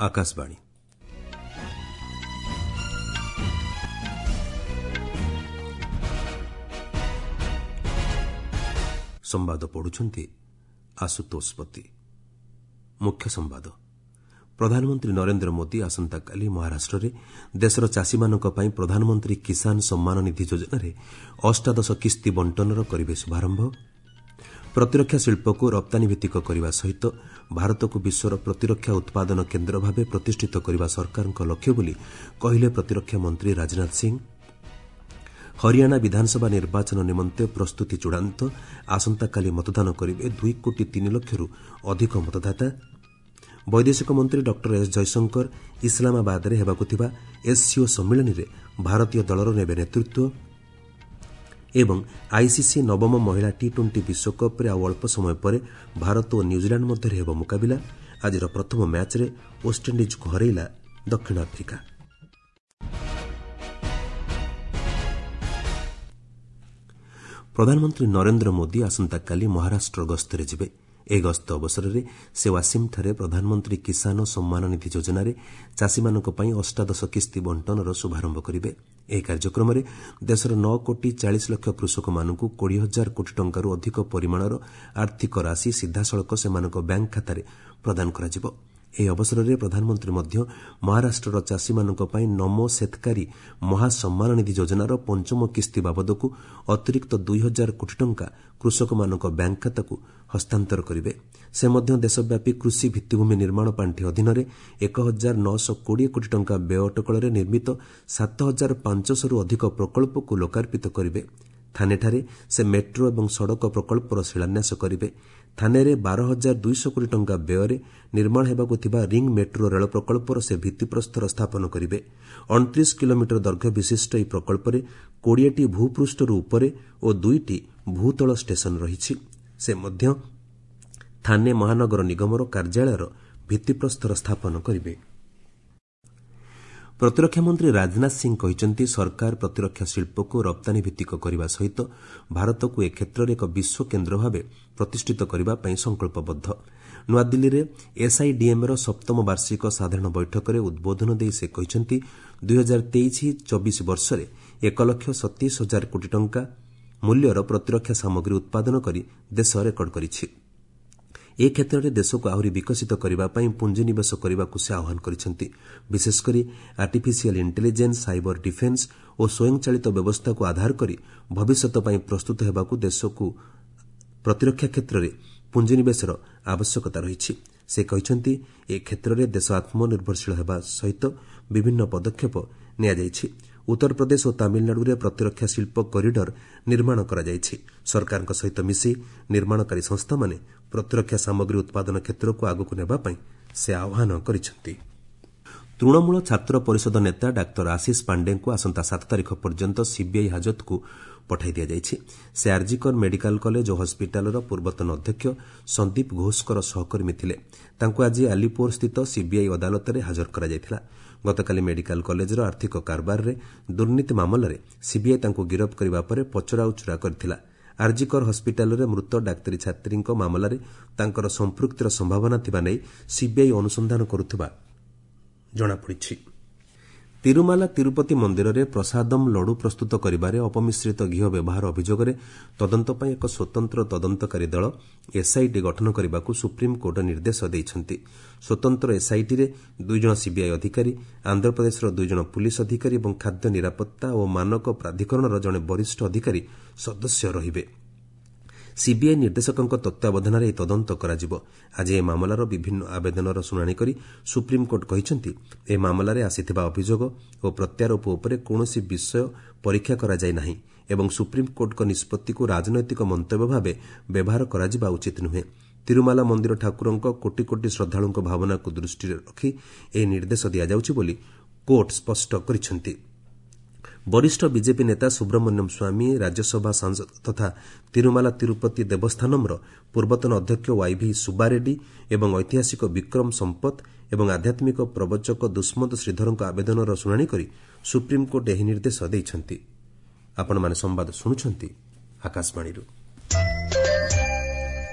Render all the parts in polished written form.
ଆକାଶବାଣୀ। ସମ୍ବାଦ ପଢ଼ୁଛନ୍ତି ଆଶୁତୋଷ ପତି। ମୁଖ୍ୟ ସମ୍ବାଦ। ପ୍ରଧାନମନ୍ତ୍ରୀ ନରେନ୍ଦ୍ର ମୋଦି ଆସନ୍ତାକାଲି ମହାରାଷ୍ଟ୍ରରେ ଦେଶର ଚାଷୀମାନଙ୍କ ପାଇଁ ପ୍ରଧାନମନ୍ତ୍ରୀ କିଷାନ ସମ୍ମାନ ନିଧି ଯୋଜନାରେ ଅଷ୍ଟାଦଶ କିସ୍ତି ବଣ୍ଟନର କରିବେ ଶୁଭାରମ୍ଭ। ପ୍ରତିରକ୍ଷା ଶିଳ୍ପକୁ ରପ୍ତାନୀଭିତ୍ତିକ କରିବା ସହିତ ଭାରତକୁ ବିଶ୍ୱର ପ୍ରତିରକ୍ଷା ଉତ୍ପାଦନ କେନ୍ଦ୍ର ଭାବେ ପ୍ରତିଷ୍ଠିତ କରିବା ସରକାରଙ୍କ ଲକ୍ଷ୍ୟ ବୋଲି କହିଲେ ପ୍ରତିରକ୍ଷା ମନ୍ତ୍ରୀ ରାଜନାଥ ସିଂ। ହରିୟାଣା ବିଧାନସଭା ନିର୍ବାଚନ ନିମନ୍ତେ ପ୍ରସ୍ତୁତି ଚୂଡ଼ାନ୍ତ। ଆସନ୍ତାକାଲି ମତଦାନ କରିବେ 2 କୋଟି 3 ଲକ୍ଷରୁ ଅଧିକ ମତଦାତା। ବୈଦେଶିକ ମନ୍ତ୍ରୀ ଡକ୍ଟର ଏସ୍ ଜୟଶଙ୍କର ଇସଲାମାବାଦରେ ହେବାକୁ ଥିବା ଏସ୍ସିଓ ସମ୍ମିଳନୀରେ ଭାରତୀୟ ଦଳର ନେବେ ନେତୃତ୍ୱ। ଏବଂ ଆଇସିସି ନବମ ମହିଳା ଟି ଟ୍ୱେଣ୍ଟି ବିଶ୍ୱକପ୍ରେ ଆଉ ଅଳ୍ପ ସମୟ ପରେ ଭାରତ ଓ ନ୍ୟୁଜିଲାଣ୍ଡ ମଧ୍ୟରେ ହେବ ମୁକାବିଲା। ଆଜିର ପ୍ରଥମ ମ୍ୟାଚ୍ରେ ୱେଷ୍ଟଇଣ୍ଡିଜ୍କୁ ହରାଇଲା ଦକ୍ଷିଣ ଆଫ୍ରିକା। ପ୍ରଧାନମନ୍ତ୍ରୀ ନରେନ୍ଦ୍ର ମୋଦି ଆସନ୍ତାକାଲି ମହାରାଷ୍ଟ୍ର ଗସ୍ତରେ ଯିବେ। ଏହି ଗସ୍ତ ଅବସରରେ ସେ ୱାସିମ୍ଠାରେ ପ୍ରଧାନମନ୍ତ୍ରୀ କିଷାନ ସମ୍ମାନ ନିଧି ଯୋଜନାରେ ଚାଷୀମାନଙ୍କ ପାଇଁ ଅଷ୍ଟାଦଶ କିସ୍ତି ବଣ୍ଟନର ଶୁଭାରମ୍ଭ କରିବେ। ଏହି କାର୍ଯ୍ୟକ୍ରମରେ ଦେଶର 9 କୋଟି 40 ଲକ୍ଷ କୃଷକମାନଙ୍କୁ 20 ହଜାର କୋଟି ଟଙ୍କାରୁ ଅଧିକ ପରିମାଣର ଆର୍ଥିକ ରାଶି ସିଧାସଳଖ ସେମାନଙ୍କ ବ୍ୟାଙ୍କ ଖାତାରେ ପ୍ରଦାନ କରାଯିବ। ଏହି ଅବସରରେ ପ୍ରଧାନମନ୍ତ୍ରୀ ମଧ୍ୟ ମହାରାଷ୍ଟ୍ରର ଚାଷୀମାନଙ୍କ ପାଇଁ ନମୋ ସେତ୍କାରୀ ମହାସମ୍ମାନ ନିଧି ଯୋଜନାର ପଞ୍ଚମ କିସ୍ତି ବାବଦକୁ ଅତିରିକ୍ତ 2 ହଜାର କୋଟି ଟଙ୍କା କୃଷକମାନଙ୍କ ବ୍ୟାଙ୍କ ଖାତାକୁ ହସ୍ତାନ୍ତର କରିବେ। ସେ ମଧ୍ୟ ଦେଶବ୍ୟାପୀ କୃଷି ଭିତ୍ତିଭୂମି ନିର୍ମାଣ ପାଣ୍ଠି ଅଧୀନରେ 1920 କୋଟି ଟଙ୍କା ବ୍ୟୟ ଅଟକଳରେ ନିର୍ମିତ 7500ରୁ ଅଧିକ ପ୍ରକଳ୍ପକୁ ଲୋକାର୍ପିତ କରିବେ। ଥାନେଠାରେ ସେ ମେଟ୍ରୋ ଏବଂ ସଡ଼କ ପ୍ରକଳ୍ପର ଶିଳାନ୍ୟାସ କରିବେ। ଥାନେରେ 12,200 କୋଟି ଟଙ୍କା ବ୍ୟୟରେ ନିର୍ମାଣ ହେବାକୁ ଥିବା ରିଙ୍ଗ୍ ମେଟ୍ରୋ ରେଳ ପ୍ରକଳ୍ପର ସେ ଭିତ୍ତିପ୍ରସ୍ତର ସ୍ଥାପନ କରିବେ। 29 କିଲୋମିଟର ଦୈର୍ଘ୍ୟ ବିଶିଷ୍ଟ ଏହି ପ୍ରକଳ୍ପରେ 20ଟି ଭୂପୃଷ୍ଠରୁ ଉପରେ ଓ 2ଟି ଭୂତଳ ଷ୍ଟେସନ ରହିଛି। ସେ ମଧ୍ୟ ଥାନେ ମହାନଗର ନିଗମର କାର୍ଯ୍ୟାଳୟର ଭିତ୍ତିପ୍ରସ୍ତର ସ୍ଥାପନ କରିବେ। ପ୍ରତିରକ୍ଷା ମନ୍ତ୍ରୀ ରାଜନାଥ ସିଂ କହିଛନ୍ତି, ସରକାର ପ୍ରତିରକ୍ଷା ଶିଳ୍ପକୁ ରପ୍ତାନୀଭିତ୍ତିକ କରିବା ସହିତ ଭାରତକୁ ଏ କ୍ଷେତ୍ରରେ ଏକ ବିଶ୍ୱ କେନ୍ଦ୍ର ଭାବେ ପ୍ରତିଷ୍ଠିତ କରିବା ପାଇଁ ସଂକଳ୍ପବଦ୍ଧ। ନୂଆଦିଲ୍ଲୀରେ ଏସ୍ଆଇଡିଏମ୍ର ସପ୍ତମ ବାର୍ଷିକ ସାଧାରଣ ବୈଠକରେ ଉଦ୍ବୋଧନ ଦେଇ ସେ କହିଛନ୍ତି, 2023-24 ବର୍ଷରେ 1 ଲକ୍ଷ 27 ହଜାର କୋଟି ଟଙ୍କା ମୂଲ୍ୟର ପ୍ରତିରକ୍ଷା ସାମଗ୍ରୀ ଉତ୍ପାଦନ କରି ଦେଶ ରେକର୍ଡ କରିଛି। ଏ କ୍ଷେତ୍ରରେ ଦେଶକୁ ଆହୁରି ବିକଶିତ କରିବା ପାଇଁ ପୁଞ୍ଜିନିବେଶ କରିବାକୁ ସେ ଆହ୍ୱାନ କରିଛନ୍ତି। ବିଶେଷକରି ଆର୍ଟିଫିସିଆଲ୍ ଇଣ୍ଟେଲିଜେନ୍ସ, ସାଇବର ଡିଫେନ୍ସ ଓ ସ୍ୱୟଂଚାଳିତ ବ୍ୟବସ୍ଥାକୁ ଆଧାର କରି ଭବିଷ୍ୟତ ପାଇଁ ପ୍ରସ୍ତୁତ ହେବାକୁ ଦେଶକୁ ପ୍ରତିରକ୍ଷା କ୍ଷେତ୍ରରେ ପୁଞ୍ଜିନିବେଶର ଆବଶ୍ୟକତା ରହିଛି। ସେ କହିଛନ୍ତି, ଏ କ୍ଷେତ୍ରରେ ଦେଶ ଆତ୍ମନିର୍ଭରଶୀଳ ହେବା ସହିତ ବିଭିନ୍ନ ପଦକ୍ଷେପ ନିଆଯାଇଛି। ଉତ୍ତରପ୍ରଦେଶ ଓ ତାମିଲନାଡୁରେ ପ୍ରତିରକ୍ଷା ଶିଳ୍ପ କରିଡର ନିର୍ମାଣ କରାଯାଇଛି। ସରକାରଙ୍କ ସହିତ ମିଶି ନିର୍ମାଣକାରୀ ସଂସ୍ଥାମାନେ ପ୍ରତିରକ୍ଷା ସାମଗ୍ରୀ ଉତ୍ପାଦନ କ୍ଷେତ୍ରକୁ ଆଗକୁ ନେବା ପାଇଁ ସେ ଆହ୍ୱାନ କରିଛନ୍ତି। ତୃଣମୂଳ ଛାତ୍ର ପରିଷଦ ନେତା ଡାକ୍ତର ଆଶିଷ ପାଣ୍ଡେଙ୍କୁ ଆସନ୍ତା 7 ତାରିଖ ପର୍ଯ୍ୟନ୍ତ ସିବିଆଇ ହାଜତକୁ ପଠାଇ ଦିଆଯାଇଛି। ସେ ଆର୍ଜିକର ମେଡିକାଲ କଲେଜ ଓ ହସ୍ପିଟାଲର ପୂର୍ବତନ ଅଧ୍ୟକ୍ଷ ସନ୍ଦୀପ ଘୋଷଙ୍କର ସହକର୍ମୀ ଥିଲେ। ତାଙ୍କୁ ଆଜି ଆଲିପୁରସ୍ଥିତ ସିବିଆଇ ଅଦାଲତରେ ହାଜର କରାଯାଇଥିଲା। ଗତକାଲି ମେଡିକାଲ କଲେଜର ଆର୍ଥିକ କାରବାରରେ ଦୁର୍ନୀତି ମାମଲାରେ ସିବିଆଇ ତାଙ୍କୁ ଗିରଫ କରିବା ପରେ ପଚରାଉଚରା କରିଥିଲା। ଆର୍ଜିକର ହସ୍ପିଟାଲରେ ମୃତ ଡାକ୍ତରୀ ଛାତ୍ରୀଙ୍କ ମାମଲାରେ ତାଙ୍କର ସମ୍ପୃକ୍ତିର ସମ୍ଭାବନା ଥିବା ନେଇ ସିବିଆଇ ଅନୁସନ୍ଧାନ କରୁଥିବା ଜଣାପଡ଼ିଛି। ତିରୁମାଲା ତିରୁପତି ମନ୍ଦିରରେ ପ୍ରସାଦମ ଲଡୁ ପ୍ରସ୍ତୁତ କରିବାରେ ଅପମିଶ୍ରିତ ଘିଅ ବ୍ୟବହାର ଅଭିଯୋଗରେ ତଦନ୍ତ ପାଇଁ ଏକ ସ୍ୱତନ୍ତ୍ର ତଦନ୍ତକାରୀ ଦଳ ଏସ୍ଆଇଟି ଗଠନ କରିବାକୁ ସୁପ୍ରିମକୋର୍ଟ ନିର୍ଦ୍ଦେଶ ଦେଇଛନ୍ତି। ସ୍ୱତନ୍ତ୍ର ଏସ୍ଆଇଟିରେ 2 ଜଣ ସିବିଆଇ ଅଧିକାରୀ, ଆନ୍ଧ୍ରପ୍ରଦେଶର 2 ଜଣ ପୁଲିସ୍ ଅଧିକାରୀ ଏବଂ ଖାଦ୍ୟ ନିରାପତ୍ତା ଓ ମାନକ ପ୍ରାଧିକରଣର ଜଣେ ବରିଷ୍ଠ ଅଧିକାରୀ ସଦସ୍ୟ ରହିବେ। ସିବିଆଇ ନିର୍ଦ୍ଦେଶକଙ୍କ ତତ୍ତ୍ୱାବଧାନରେ ଏହି ତଦନ୍ତ କରାଯିବ। ଆଜି ଏହି ମାମଲାର ବିଭିନ୍ନ ଆବେଦନର ଶୁଣାଣି କରି ସୁପ୍ରିମକୋର୍ଟ କହିଛନ୍ତି, ଏହି ମାମଲାରେ ଆସିଥିବା ଅଭିଯୋଗ ଓ ପ୍ରତ୍ୟାରୋପ ଉପରେ କୌଣସି ବିଷୟ ପରୀକ୍ଷା କରାଯାଇ ନାହିଁ ଏବଂ ସୁପ୍ରିମକୋର୍ଟଙ୍କ ନିଷ୍ପତ୍ତିକୁ ରାଜନୈତିକ ମନ୍ତବ୍ୟ ଭାବେ ବ୍ୟବହାର କରାଯିବା ଉଚିତ ନୁହେଁ। ତିରୁମାଲା ମନ୍ଦିର ଠାକୁରଙ୍କ କୋଟି କୋଟି ଶ୍ରଦ୍ଧାଳୁଙ୍କ ଭାବନାକୁ ଦୃଷ୍ଟିରେ ରଖି ଏହି ନିର୍ଦ୍ଦେଶ ଦିଆଯାଉଛି ବୋଲି କୋର୍ଟ ସ୍ପଷ୍ଟ କରିଛନ୍ତି। ବରିଷ୍ଠ ବିଜେପି ନେତା ସୁବ୍ରମଣ୍ୟମ୍ ସ୍ୱାମୀ, ରାଜ୍ୟସଭା ସାଂସଦ ତଥା ତିରୁମାଲା ତିରୁପତି ଦେବସ୍ଥାନମ୍ର ପୂର୍ବତନ ଅଧ୍ୟକ୍ଷ ୱାଇଭି ସୁବାରେଡ୍ଡି ଏବଂ ଐତିହାସିକ ବିକ୍ରମ ସମ୍ପଥ ଏବଂ ଆଧ୍ୟାତ୍ମିକ ପ୍ରବଚକ ଦୁଷ୍ମନ୍ତ ଶ୍ରୀଧରଙ୍କ ଆବେଦନର ଶୁଣାଣି କରି ସୁପ୍ରିମକୋର୍ଟ ଏହି ନିର୍ଦ୍ଦେଶ ଦେଇଛନ୍ତି। ଆପଣମାନେ ସମ୍ବାଦ ଶୁଣୁଛନ୍ତି ଆକାଶବାଣୀରୁ।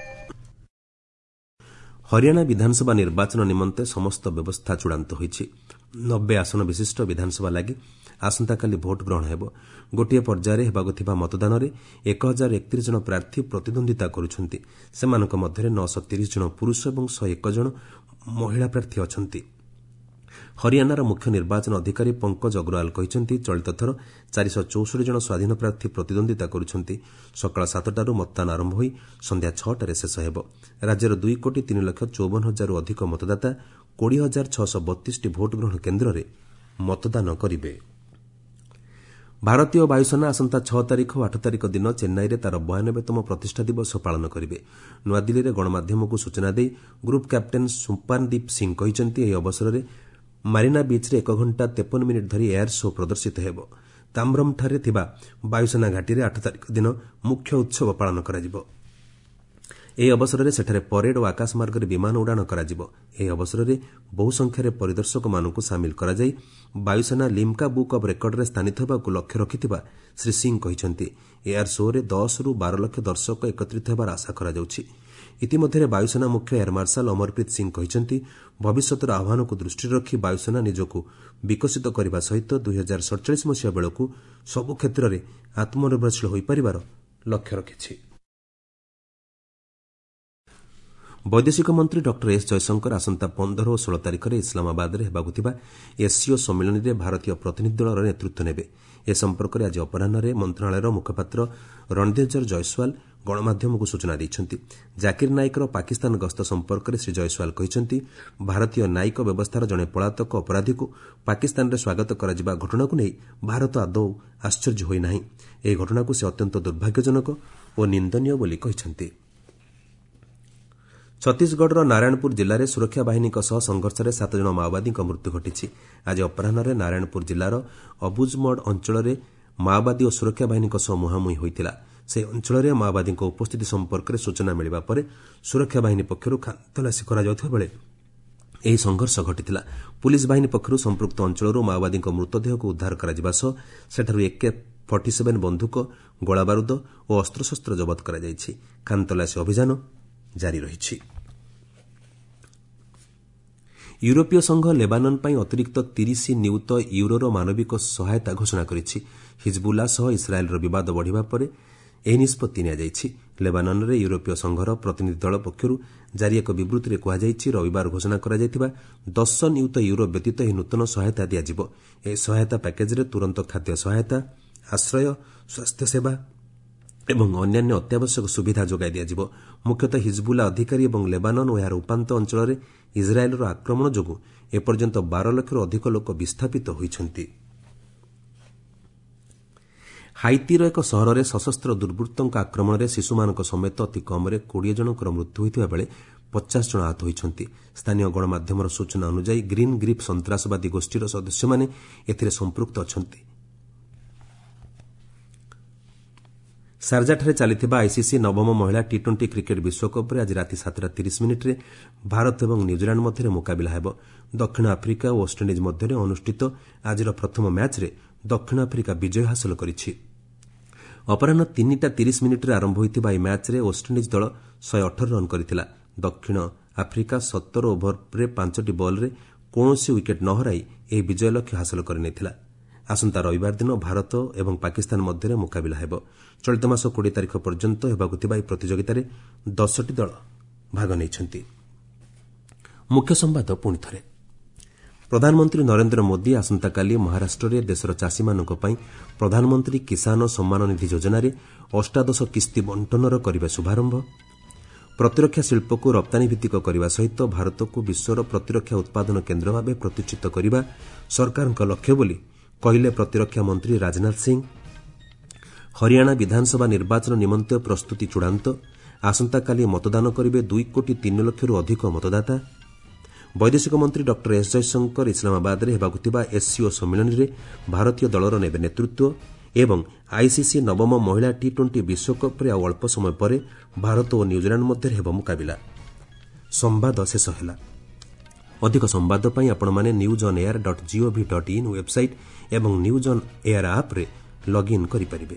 ହରିୟାଣା ବିଧାନସଭା ନିର୍ବାଚନ ନିମନ୍ତେ ସମସ୍ତ ବ୍ୟବସ୍ଥା ଚୂଡ଼ାନ୍ତ ହୋଇଛି। 90 ଆସନ ବିଶିଷ୍ଟ ବିଧାନସଭା ଲାଗି ଆସନ୍ତାକାଲି ଭୋଟ୍ ଗ୍ରହଣ ହେବ। ଗୋଟିଏ ପର୍ଯ୍ୟାୟରେ ହେବାକୁ ଥିବା ମତଦାନରେ 1031 ଜଣ ପ୍ରାର୍ଥୀ ପ୍ରତିଦ୍ୱନ୍ଦ୍ୱିତା କରୁଛନ୍ତି। ସେମାନଙ୍କ ମଧ୍ୟରେ 930 ଜଣ ପୁରୁଷ ଏବଂ 101 ଜଣ ମହିଳା ପ୍ରାର୍ଥୀ ଅଛନ୍ତି। ହରିୟାଣାର ମୁଖ୍ୟ ନିର୍ବାଚନ ଅଧିକାରୀ ପଙ୍କଜ ଅଗ୍ରୱାଲ କହିଛନ୍ତି, ଚଳିତ ଥର 464 ଜଣ ସ୍ୱାଧୀନ ପ୍ରାର୍ଥୀ ପ୍ରତିଦ୍ୱନ୍ଦ୍ୱିତା କରୁଛନ୍ତି। ସକାଳ 7ଟାରୁ ମତଦାନ ଆରମ୍ଭ ହୋଇ ସନ୍ଧ୍ୟା 6ଟାରେ ଶେଷ ହେବ। ରାଜ୍ୟର 2 କୋଟି 3 ଲକ୍ଷ 54 ହଜାରରୁ ଅଧିକ ମତଦାତା 20,632ଟି ଭୋଟ୍ ଗ୍ରହଣ କେନ୍ଦ୍ରରେ ମତଦାନ କରିବେ। ଭାରତୀୟ ବାୟୁସେନା ଆସନ୍ତା 6 ତାରିଖ ଓ 8 ତାରିଖ ଦିନ ଚେନ୍ନାଇରେ ତା'ର 92ତମ ପ୍ରତିଷ୍ଠା ଦିବସ ପାଳନ କରିବେ। ନୂଆଦିଲ୍ଲୀରେ ଗଣମାଧ୍ୟମକୁ ସୂଚନା ଦେଇ ଗ୍ରୁପ୍ କ୍ୟାପ୍ଟେନ୍ ସୁପାନଦୀପ ସିଂ କହିଛନ୍ତି, ଏହି ଅବସରରେ ମାରିନା ବିଚ୍ରେ 1 ଘଣ୍ଟା 53 ମିନିଟ୍ ଧରି ଏୟାର ଶୋ ପ୍ରଦର୍ଶିତ ହେବ। ତାମ୍ରମ୍ଠାରେ ଥିବା ବାୟୁସେନା ଘାଟିରେ 8 ତାରିଖ ଦିନ ମୁଖ୍ୟ ଉତ୍ସବ ପାଳନ କରାଯିବ। ଏହି ଅବସରରେ ସେଠାରେ ପରେଡ୍ ଓ ଆକାଶମାର୍ଗରେ ବିମାନ ଉଡ଼ାଣ କରାଯିବ। ଏହି ଅବସରରେ ବହୁ ସଂଖ୍ୟାରେ ପରିଦର୍ଶକମାନଙ୍କୁ ସାମିଲ କରାଯାଇ ବାୟୁସେନା ଲିମ୍କା ବୁକ୍ ଅଫ୍ ରେକର୍ଡରେ ସ୍ଥାନିତ ହେବାକୁ ଲକ୍ଷ୍ୟ ରଖିଥିବା ଶ୍ରୀ ସିଂ କହିଛନ୍ତି। ଏୟାର ଶୋ'ରେ 10ରୁ 12 ଲକ୍ଷ ଦର୍ଶକ ଏକତ୍ରିତ ହେବାର ଆଶା କରାଯାଉଛି। ଇତିମଧ୍ୟରେ ବାୟୁସେନା ମୁଖ୍ୟ ଏୟାର ମାର୍ଶାଲ ଅମରପ୍ରୀତ ସିଂ କହିଛନ୍ତି, ଭବିଷ୍ୟତର ଆହ୍ୱାନକୁ ଦୃଷ୍ଟିରେ ରଖି ବାୟୁସେନା ନିଜକୁ ବିକଶିତ କରିବା ସହିତ 2047 ମସିହା ବେଳକୁ ସବୁ କ୍ଷେତ୍ରରେ ଆତ୍ମନିର୍ଭରଶୀଳ ହୋଇପାରିବାର ଲକ୍ଷ୍ୟ ରଖିଛି। ବୈଦେଶିକ ମନ୍ତ୍ରୀ ଡକ୍ଟର ଏସ୍ ଜୟଶଙ୍କର ଆସନ୍ତା 15 ଓ 16 ତାରିଖରେ ଇସଲାମାବାଦରେ ହେବାକୁ ଥିବା ଏସ୍ସିଓ ସମ୍ମିଳନୀରେ ଭାରତୀୟ ପ୍ରତିନିଧି ଦଳର ନେତୃତ୍ୱ ନେବେ। ଏ ସମ୍ପର୍କରେ ଆଜି ଅପରାହ୍ନରେ ମନ୍ତ୍ରଣାଳୟର ମୁଖପାତ୍ର ରଣଧୀର ଜୟସ୍ୱାଲ ଗଣମାଧ୍ୟମକୁ ସୂଚନା ଦେଇଛନ୍ତି। ଜାକିର ନାଇକର ପାକିସ୍ତାନ ଗସ୍ତ ସମ୍ପର୍କରେ ଶ୍ରୀ ଜୟସ୍ୱାଲ କହିଛନ୍ତି, ଭାରତୀୟ ନ୍ୟାୟିକ ବ୍ୟବସ୍ଥାର ଜଣେ ପଳାତକ ଅପରାଧୀକୁ ପାକିସ୍ତାନରେ ସ୍ୱାଗତ କରାଯିବା ଘଟଣାକୁ ନେଇ ଭାରତ ଆଦୌ ଆଶ୍ଚର୍ଯ୍ୟ ହୋଇନାହିଁ। ଏହି ଘଟଣାକୁ ସେ ଅତ୍ୟନ୍ତ ଦୁର୍ଭାଗ୍ୟଜନକ ଓ ନିନ୍ଦନୀୟ ବୋଲି କହିଛନ୍ତି। ଛତିଶଗଡ଼ର ନାରାୟଣପୁର ଜିଲ୍ଲାରେ ସୁରକ୍ଷା ବାହିନୀଙ୍କ ସହ ସଂଘର୍ଷରେ 7 ଜଣ ମାଓବାଦୀଙ୍କ ମୃତ୍ୟୁ ଘଟିଛି। ଆଜି ଅପରାହ୍ନରେ ନାରାୟଣପୁର ଜିଲ୍ଲାର ଅବୁଜମଡ଼ ଅଞ୍ଚଳରେ ମାଓବାଦୀ ଓ ସୁରକ୍ଷା ବାହିନୀଙ୍କ ସହ ମୁହାଁମୁହିଁ ହୋଇଥିଲା। ସେହି ଅଞ୍ଚଳରେ ମାଓବାଦୀଙ୍କ ଉପସ୍ଥିତି ସମ୍ପର୍କରେ ସୂଚନା ମିଳିବା ପରେ ସୁରକ୍ଷା ବାହିନୀ ପକ୍ଷରୁ ଖାନ୍ତଲାସୀ କରାଯାଉଥିବା ବେଳେ ଏହି ସଂଘର୍ଷ ଘଟିଥିଲା। ପୁଲିସ୍ ବାହିନୀ ପକ୍ଷରୁ ସମ୍ପୃକ୍ତ ଅଞ୍ଚଳରୁ ମାଓବାଦୀଙ୍କ ମୃତଦେହକୁ ଉଦ୍ଧାର କରାଯିବା ସହ ସେଠାରୁ AK-47 ବନ୍ଧୁକ, ଗୋଳାବାରୁଦ ଓ ଅସ୍ତ୍ରଶସ୍ତ୍ର ଜବତ କରାଯାଇଛି। ଖାନ୍ତଲାସୀ ଅଭିଯାନ ଜାରି ରହିଛି। ୟୁରୋପୀୟ ସଂଘ ଲେବାନନ୍ ପାଇଁ ଅତିରିକ୍ତ 30 ନିୟୁତ ୟୁରୋର ମାନବିକ ସହାୟତା ଘୋଷଣା କରିଛି। ହିଜବୁଲ୍ଲା ସହ ଇସ୍ରାଏଲ୍ର ବିବାଦ ବଢ଼ିବା ପରେ ଏହି ନିଷ୍ପତ୍ତି ନିଆଯାଇଛି। ଲେବାନନ୍ରେ ୟୁରୋପୀୟ ସଂଘର ପ୍ରତିନିଧି ଦଳ ପକ୍ଷରୁ ଜାରି ଏକ ବିବୃତ୍ତିରେ କୁହାଯାଇଛି, ରବିବାର ଘୋଷଣା କରାଯାଇଥିବା 10 ନିୟୁତ ୟୁରୋ ବ୍ୟତୀତ ଏହି ନୂତନ ସହାୟତା ଦିଆଯିବ। ଏହି ସହାୟତା ପ୍ୟାକେଜ୍ରେ ତୁରନ୍ତ ଖାଦ୍ୟ ସହାୟତା, ଆଶ୍ରୟ, ସ୍ୱାସ୍ଥ୍ୟସେବା ଏବଂ ଅନ୍ୟାନ୍ୟ ଅତ୍ୟାବଶ୍ୟକ ସୁବିଧା ଯୋଗାଇ ଦିଆଯିବ। ମୁଖ୍ୟତଃ ହିଜବୁଲ୍ଲା ଅଧିକାରୀ ଏବଂ ଲେବାନନ୍ ଓ ଏହାର ଉପାନ୍ତ ଅଞ୍ଚଳରେ ଇସ୍ରାଏଲ୍ର ଆକ୍ରମଣ ଯୋଗୁଁ ଏପର୍ଯ୍ୟନ୍ତ 12 ଲକ୍ଷରୁ ଅଧିକ ଲୋକ ବିସ୍ଥାପିତ ହୋଇଛନ୍ତି। ହାଇତିର ଏକ ସହରରେ ସଶସ୍ତ୍ର ଦୁର୍ବୃତ୍ତଙ୍କ ଆକ୍ରମଣରେ ଶିଶୁମାନଙ୍କ ସମେତ ଅତି କମ୍ରେ 20 ଜଣଙ୍କର ମୃତ୍ୟୁ ହୋଇଥିବା ବେଳେ 50 ଜଣ ଆହତ ହୋଇଛନ୍ତି। ସ୍ଥାନୀୟ ଗଣମାଧ୍ୟମର ସୂଚନା ଅନୁଯାୟୀ ଗ୍ରୀନ୍ ଗ୍ରିପ୍ ସନ୍ତାସବାଦୀ ଗୋଷ୍ଠୀର ସଦସ୍ୟମାନେ ଏଥିରେ ସମ୍ପୃକ୍ତ ଅଛନ୍ତି। ସାର୍ଜାଠାରେ ଚାଲିଥିବା ଆଇସିସି ନବମ ମହିଳା ଟି-20 କ୍ରିକେଟ୍ ବିଶ୍ୱକପ୍ରେ ଆଜି ରାତି 7:30 ଭାରତ ଏବଂ ନ୍ୟୁଜିଲାଣ୍ଡ ମଧ୍ୟରେ ମୁକାବିଲା ହେବ। ଦକ୍ଷିଣ ଆଫ୍ରିକା ଓ ୱେଷ୍ଟଇଣ୍ଡିଜ୍ ମଧ୍ୟରେ ଅନୁଷ୍ଠିତ ଆଜିର ପ୍ରଥମ ମ୍ୟାଚ୍ରେ ଦକ୍ଷିଣ ଆଫ୍ରିକା ବିଜୟ ହାସଲ କରିଛି। ଅପରାହ୍ନ 3:30 ଆରମ୍ଭ ହୋଇଥିବା ଏହି ମ୍ୟାଚ୍ରେ ୱେଷ୍ଟଇଣ୍ଡିଜ୍ ଦଳ 118 ରନ୍ କରିଥିଲା। ଦକ୍ଷିଣ ଆଫ୍ରିକା 17 ଓଭରରେ 5ଟି ବଲ୍ରେ କୌଣସି ୱିକେଟ୍ ନ ହରାଇ ଏହି ବିଜୟ ଲକ୍ଷ୍ୟ ହାସଲ କରିନେଇଥିଲା। ଆସନ୍ତା ରବିବାର ଦିନ ଭାରତ ଏବଂ ପାକିସ୍ତାନ ମଧ୍ୟରେ ମୁକାବିଲା ହେବ। ଚଳିତ ମାସ 20 ତାରିଖ ପର୍ଯ୍ୟନ୍ତ ହେବାକୁ ଥିବା ଏହି ପ୍ରତିଯୋଗିତାରେ 10ଟି ଦଳ ଭାଗ ନେଇଛନ୍ତି। ମୁଖ୍ୟ ସମ୍ବାଦ ପୁଣି ଥରେ। ପ୍ରଧାନମନ୍ତ୍ରୀ ନରେନ୍ଦ୍ର ମୋଦି ଆସନ୍ତାକାଲି ମହାରାଷ୍ଟ୍ରରେ ଦେଶର ଚାଷୀମାନଙ୍କ ପାଇଁ ପ୍ରଧାନମନ୍ତ୍ରୀ କିଷାନ ସମ୍ମାନ ନିଧି ଯୋଜନାରେ ଅଷ୍ଟାଦଶ କିସ୍ତି ବଣ୍ଟନର କରିବେ ଶୁଭାରମ୍ଭ। ପ୍ରତିରକ୍ଷା ଶିଳ୍ପକୁ ରପ୍ତାନୀଭିତ୍ତିକ କରିବା ସହିତ ଭାରତକୁ ବିଶ୍ୱର ପ୍ରତିରକ୍ଷା ଉତ୍ପାଦନ କେନ୍ଦ୍ର ଭାବେ ପ୍ରତିଷ୍ଠିତ କରିବା ସରକାରଙ୍କ ଲକ୍ଷ୍ୟ ବୋଲି କହିଲେ ପ୍ରତିରକ୍ଷା ମନ୍ତ୍ରୀ ରାଜନାଥ ସିଂ। ହରିୟାଣା ବିଧାନସଭା ନିର୍ବାଚନ ନିମନ୍ତେ ପ୍ରସ୍ତୁତି ଚୂଡ଼ାନ୍ତ। ଆସନ୍ତାକାଲି ମତଦାନ କରିବେ 2 କୋଟି 3 ଲକ୍ଷରୁ ଅଧିକ ମତଦାତା। ବୈଦେଶିକ ମନ୍ତ୍ରୀ ଡକ୍ଟର ଏସ୍ ଜୟଶଙ୍କର ଇସଲାମାବାଦରେ ହେବାକୁ ଥିବା ଏସ୍ସିଓ ସମ୍ମିଳନୀରେ ଭାରତୀୟ ଦଳର ନେବେ ନେତୃତ୍ୱ ଏବଂ ଆଇସିସି ନବମ ମହିଳା ଟି-20 ବିଶ୍ୱକପ୍ରେ ଆଉ ଅଳ୍ପ ସମୟ ପରେ ଭାରତ ଓ ନ୍ୟୁଜିଲାଣ୍ଡ ମଧ୍ୟରେ ହେବ ମୁକାବିଲା। ସମ୍ବାଦ ଶେଷ ହେଲା। ଅଧିକ ସମ୍ବାଦ ପାଇଁ ଆପଣମାନେ newsonair.gov.in website ଏବଂ ନ୍ୟୁଜ୍ ଅନ୍ ଏୟାର ଆପ୍ରେ ଲଗ୍ଇନ୍ କରିପାରିବେ।